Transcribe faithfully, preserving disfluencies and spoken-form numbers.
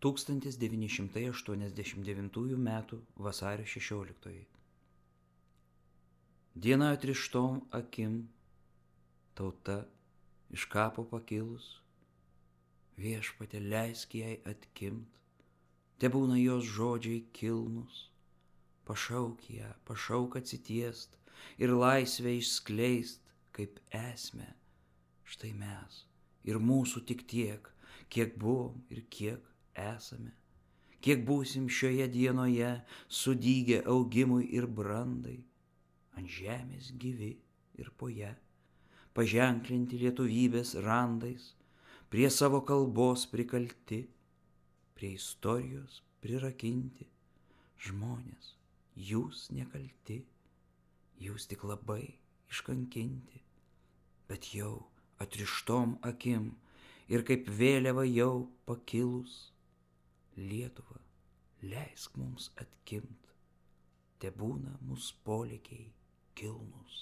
tūkstantis devyni šimtai aštuoniasdešimt devintųjų metų vasario šešioliktoji. Diena atrištom akim, tauta iš kapo pakilus, viešpatie leisk jai atkimt, tebūna jos žodžiai kilnus, pašauk ją, pašauk atsitiest ir laisvę išskleist kaip esmę. Štai mes ir mūsų tik tiek, kiek buvom ir kiek esame, kiek būsim šioje dienoje sudygę augimui ir brandai, ant žemės gyvi ir po ją, paženklinti lietuvybės randais, prie savo kalbos prikalti, prie istorijos prirakinti. Žmonės, jūs nekalti, jūs tik labai iškankinti, bet jau atrištom akim ir kaip vėliava jau pakilus, Lietuva, leisk mums atkimt, tebūna mūsų polėkiai kilnus.